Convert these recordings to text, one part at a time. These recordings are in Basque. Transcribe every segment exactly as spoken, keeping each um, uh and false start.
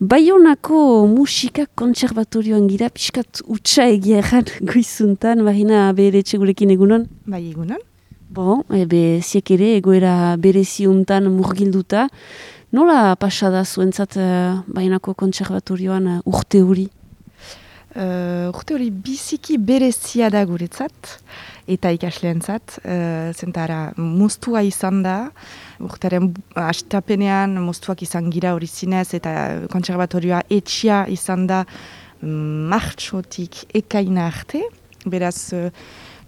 Baionako musika kontserbatorioan gira, pixkat utxa egia erran goizuntan, Marina bere etxegurekin egunon? Bai, egunon. Bon, ebe ziek ere egoera bereziuntan murgilduta. Nola pasada zuentzat uh, Baionako kontserbatorioan uh, urte hori? Uh, urte hori biziki berezia da guretzat, eta ikasleentzat, uh, zentara moztua izan da, urtearen hastapenean moztuak izan gira hori zinez, eta kontserbatorioa etxia izan da martxotik ekaina arte, beraz, uh,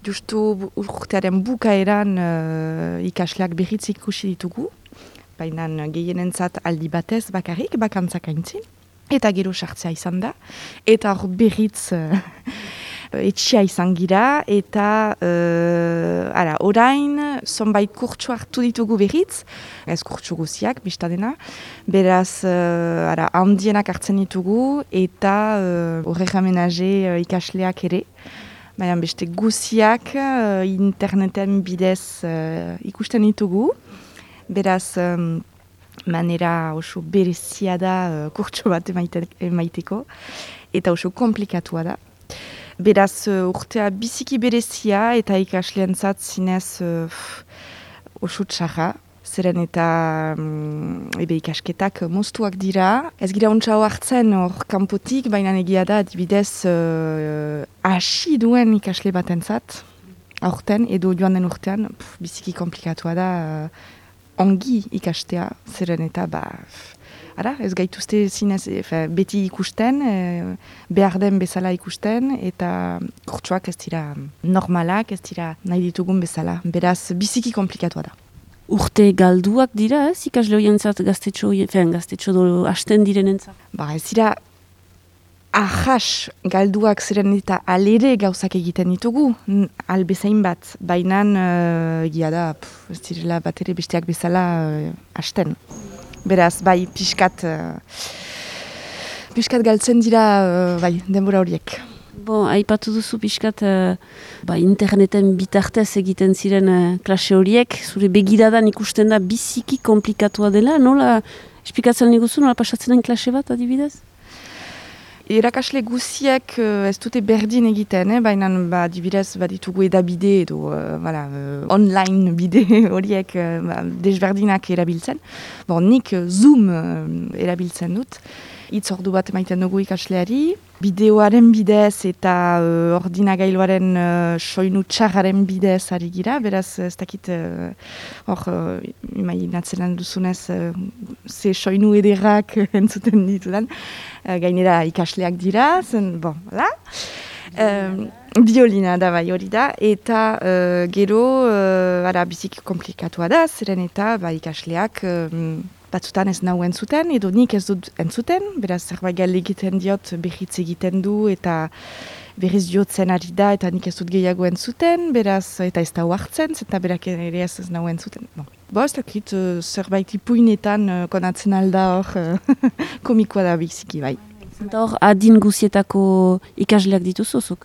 justu urtearen bukaeran uh, ikasleak berriz ikusi ditugu, baina gehienentzat aldi batez bakarrik, bakantzak aintzin. Eta gero sartzea izan da, eta hor berriz uh, etxia izan gira, eta uh, ara, orain zonbait kurtsu hartu ditugu berriz, ez kurtsu guziak, biztadena, beraz uh, ara, handienak hartzen ditugu, eta uh, horrek amenaje uh, ikasleak ere, baina beste guziak uh, interneten bidez uh, ikusten ditugu, beraz um, manera oso berezia da uh, kurtso bat emaite, emaiteko, eta oso komplikatua da. Beraz uh, urtea biziki berezia eta ikasleentzat zinez uh, oso txarra, zeren eta um, ebe ikasketak moztuak dira. Ez gira ontsa hartzen hor kanpotik, baina egia da adibidez uh, hasi duen ikasle batentzat, aurten edo joan den urtean, pff, biziki komplikatua da, uh, ongi ikastea, zeren eta ba, ara, ez gaituzte zinez, efe, beti ikusten, e, behar den bezala ikusten, eta kurtsuak ez dira normalak, ez dira nahi ditugun bezala. Beraz, biziki komplikatua da. Urte galduak dira, ez? Ikasle horientzat gaztetxo, fean gaztetxo do hasten direnentzat? Ba, ez dira ahas galduak ziren eta alere gauzak egiten ditugu, albezain bat, baina uh, egia da, pff, ez direla bat ere besteak bezala uh, hasten. Beraz, bai, pixkat, uh, pixkat galtzen dira, uh, bai, denbora horiek. Bon, aipatu duzu pixkat, uh, ba, interneten bitartez egiten ziren uh, klase horiek, zure begiradan ikusten da biziki komplikatua dela, nola, esplikatzen niguzu, nola pasatzen den klase bat adibidez? Erakasle guziek uh, ez dute berdin egiten, eh? Baina ba, dibidez baditugu edabide edo uh, voilà, uh, online bide horiek uh, ba, desberdinak erabiltzen. Bon, nik uh, Zoom uh, erabiltzen dut. Itz ordu bat emaiten dugu ikasleari. Bideoaren bidez eta uh, ordinagailuaren uh, soinu txarraren bidez ari gira. Beraz, ez dakit hor uh, uh, imaginatzen duzunez uh, ze soinu ederrak entzuten ditudan. Uh, gainera ikasleak dira, zen, bon, voilà. Um, biolina da bai hori da, eta uh, gero uh, ara, biziki komplikatua da, zeren eta ba, ikasleak um, batzutan ez nahu entzuten, edo nik ez dut entzuten, beraz zerbait gal egiten diot berriz egiten du, eta berriz diotzen ari da, eta nik ez dut gehiago entzuten, beraz, eta ez da huartzen, eta berak ere ez ez nahu entzuten. Bon. Bo, ez dakit, uh, zerbait ipuinetan uh, konatzen alda hor, uh, komikoa da biziki bai. Eta hor, adin guzietako ikasleak dituzuzuk?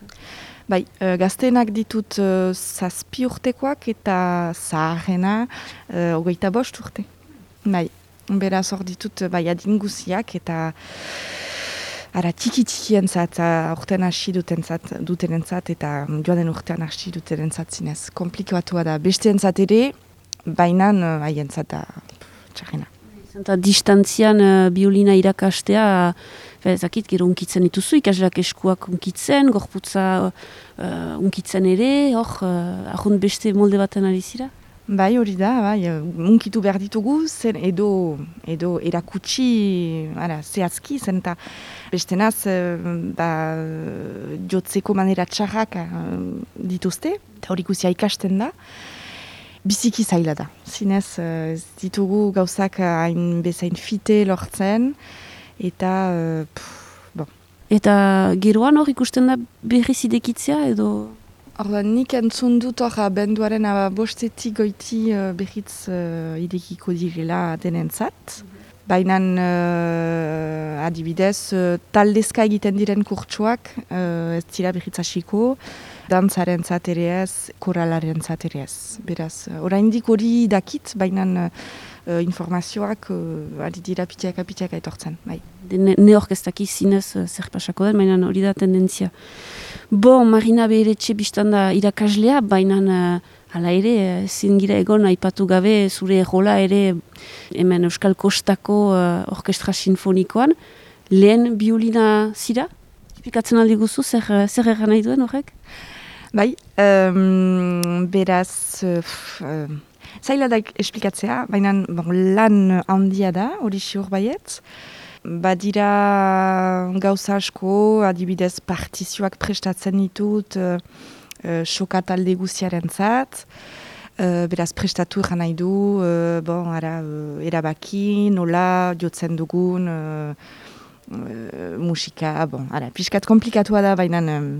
Bai, uh, gazteenak ditut uh, zazpi urtekoak eta zaharrena uh, hogeita bost urte. Bai, beraz hor ditut bai adin guziak eta ara tiki-tikientzat, urtean hasi dutenentzat, dutenentzat eta joan den urtean hasi dutenentzat zinez. Komplikatua da, besteentzat ere, baina haientzat da txarrena. Eta distantzian uh, biolina irakastea, ezakit, gero unkitzen dituzu, ikasleak eskuak unkitzen, gorputza uh, unkitzen ere, hor, uh, ahont beste molde baten ari zira? Bai, hori da, bai, unkitu behar ditugu, zen edo, edo erakutsi, ara, zehazki, zen eta bestenaz, ba, jotzeko manera txarrak dituzte, eta hori guzia ikasten da. Biziki zaila da, zinez ez ditugu gauzak hain bezain fite lortzen, eta, pff, bon. Eta geroan hor ikusten da berriz idekitzea edo? Orda, nik entzun dut hor benduaren bostetik goiti uh, berriz uh, idekiko direla denentzat. Baina uh, adibidez, uh, taldezka egiten diren kurtsuak uh, ez dira behitzasiko, dantzaren ere ez, koralaren ere ez. Beraz, uh, oraindik hori dakit, baina uh, informazioak uh, ari dira pitiaka pitiaka etortzen. Bai. Ne, ne orkestaki zinez uh, zer pasako den, baina hori da tendentzia. Bon, Marina Beheretxe biztanda irakaslea, baina uh, hala ere, ezin gira egon aipatu gabe zure rola ere hemen Euskal Kostako uh, orkestra sinfonikoan. Lehen biolina zira? Espikatzen aldi guzu, zer, zer egan nahi duen horrek? Bai, um, beraz, uh, zaila da esplikatzea, baina bon, lan handia da, hori siur baiet. Badira gauza asko, adibidez partizioak prestatzen ditut, uh, uh, soka talde guziaren zat, uh, beraz prestatu egan nahi du, uh, bon, ara, uh, erabaki, nola, jotzen dugun, uh, uh, musika, bon, ara, pixkat komplikatua da, baina um,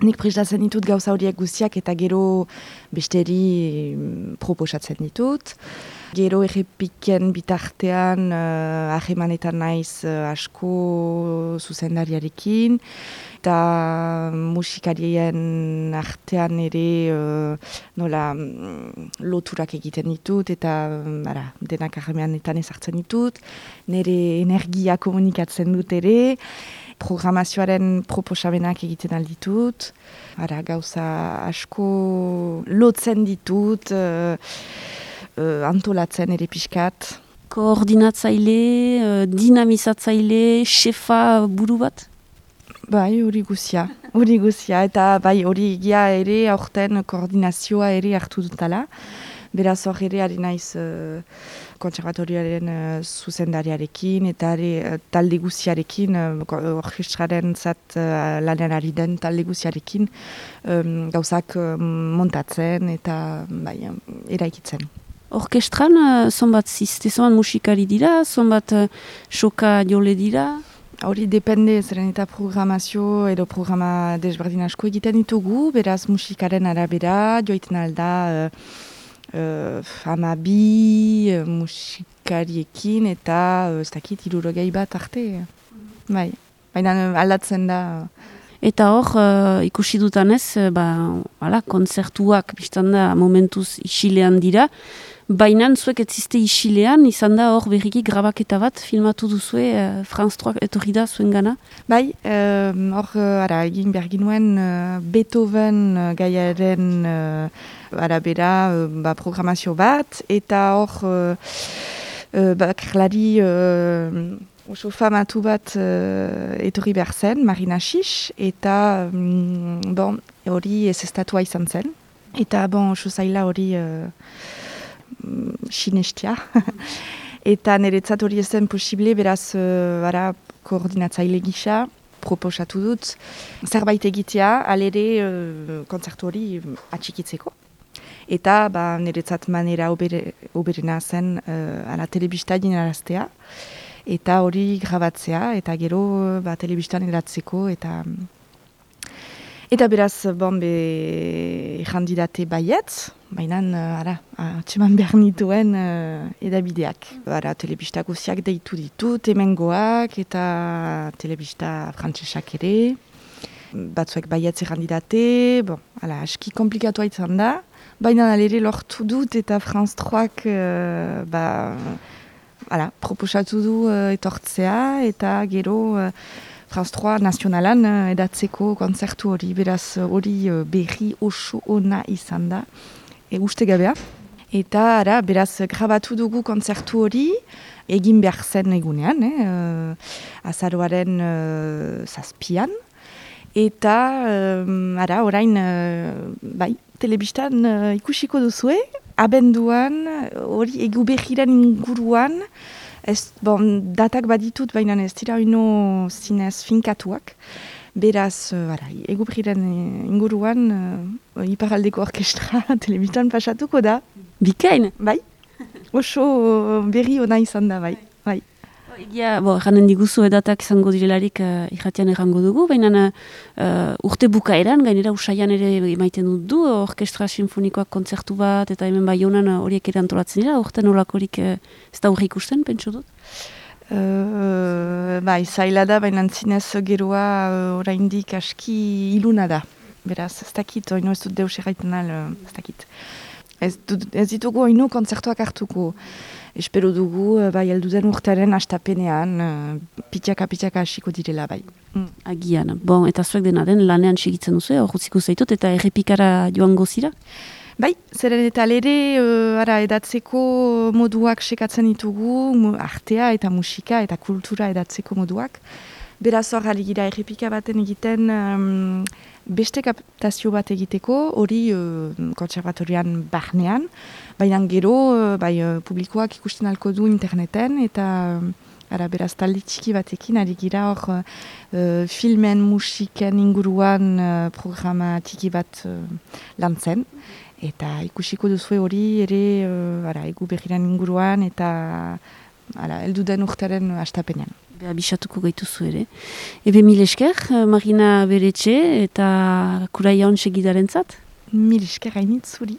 nik prestatzen ditut gauza horiek guztiak eta gero besteri um, proposatzen ditut. Gero errepiken bitartean uh, ahemanetan naiz uh, asko zuzendariarekin, eta musikarien artean ere uh, nola um, loturak egiten ditut, eta um, ara, denak ahemanetan ezartzen ditut, nire energia komunikatzen dut ere, programazioaren proposamenak egiten alditut, ara, gauza asko lotzen ditut, uh, Uh, antolatzen ere pixkat. Koordinatzaile, uh, dinamizatzaile, xefa buru bat? Bai, hori guzia, hori guzia, eta bai hori egia ere aurten koordinazioa ere hartu dutala. Beraz hor ere ari naiz uh, kontserbatorioaren uh, zuzendariarekin eta ere uh, talde guziarekin, uh, orkestraren zat uh, lanen ari den talde guziarekin um, gauzak uh, montatzen eta bai, um, eraikitzen. Orkestran, uh, zonbat ziste, zonbat musikari dira, zonbat uh, soka jole dira? Hori depende, zeren eta programazio edo programa desberdin asko egiten ditugu, beraz musikaren arabera, joiten alda uh, uh, amabi uh, musikariekin eta uh, ez dakit irurogei bat arte. Bai, baina uh, aldatzen da. Eta hor, uh, ikusi dutanez, uh, ba, ala, kontzertuak biztan da momentuz isilean dira, baina zuek etziste isilean, izan da hor berriki grabaketa bat filmatu duzue, uh, France trois etorri da zuen gana? Bai, hor, uh, ara, egin behar ginuen uh, Beethoven uh, gaiaren uh, arabera uh, ba, programazio bat, eta hor, uh, uh, bakarlari uh, oso famatu bat uh, etorri behar zen, Marina Xix, eta um, bon, hori ez estatua izan zen. Eta bon, oso zaila hori uh, sinestia. Eta niretzat hori ez zen posible, beraz uh, bara, koordinatzaile gisa proposatu dut. Zerbait egitea, alere uh, kontzertu hori atxikitzeko. Eta ba, niretzat manera obere, oberena zen uh, ala telebista dinaraztea. Eta hori grabatzea, eta gero ba, telebistan eratzeko, eta eta beraz, bon, be, jandidate baiet, baina, ara, atseman behar nituen uh, edabideak. Ara, telebista guziak deitu ditut, hemengoak, eta telebista frantsesak ere. Batzuek baietz jandidate, bon, ala, aski komplikatua izan da, baina alere lortu dut, eta France troik, uh, ba, Hala, proposatu du uh, etortzea eta gero uh, France trois nazionalan uh, edatzeko kontzertu hori, beraz hori uh, berri oso ona izan da, e, uste gabea. Eta ara, beraz grabatu dugu kontzertu hori, egin behar zen egunean, eh, uh, azaroaren uh, zazpian. Eta, uh, ara, orain, uh, bai, telebistan uh, ikusiko duzue, abenduan, hori egu behiren inguruan, ez, bon, datak baditut, baina ez dira ino zinez finkatuak. Beraz, uh, egu behiren inguruan, uh, iparaldeko orkestra telebistan pasatuko da. Bikain? Bai, oso berri ona izan da, bai. bai. Egia, bo, eranen diguzu edatak izango direlarik uh, irratian errango dugu, baina uh, urte bukaeran, gainera usaian ere emaiten dut du, orkestra sinfonikoak kontzertu bat, eta hemen bai honan horiek ere antolatzen dira, urte nolakorik uh, ez da urre ikusten, pentsu dut? Uh, bai, zaila da, baina zinez geroa uh, oraindik aski iluna da. Beraz, ez dakit, oino ez dut deus erraiten al, ez dakit. Ez, dut, ez ditugu oino kontzertuak hartuko. Espero dugu, uh, bai, elduden urtearen astapenean, uh, pitxaka-pitxaka hasiko direla, bai. Mm. Agian, bon, eta zuek dena den lanean segitzen duzu, hor utziko zaitut, eta errepikara joango zira? Bai, zeren eta lere, uh, ara, edatzeko moduak sekatzen ditugu, artea eta musika eta kultura edatzeko moduak. Beraz hor, gira errepika baten egiten um, beste kaptazio bat egiteko, hori uh, kontserbatorian barnean, baina gero, uh, bai, uh, publikoak ikusten alko du interneten, eta ara, beraz talde txiki batekin, ari gira hor uh, filmen, musiken inguruan uh, programa txiki bat uh, lantzen. Eta ikusiko duzue hori ere uh, ara, egu berriran inguruan eta ara, elduden urtaren astapenean. Beha bisatuko gaituzu ere. Ebe mil esker, Marina Beretxe eta Kuraia Hon segidarentzat? Mil esker hainit zuri.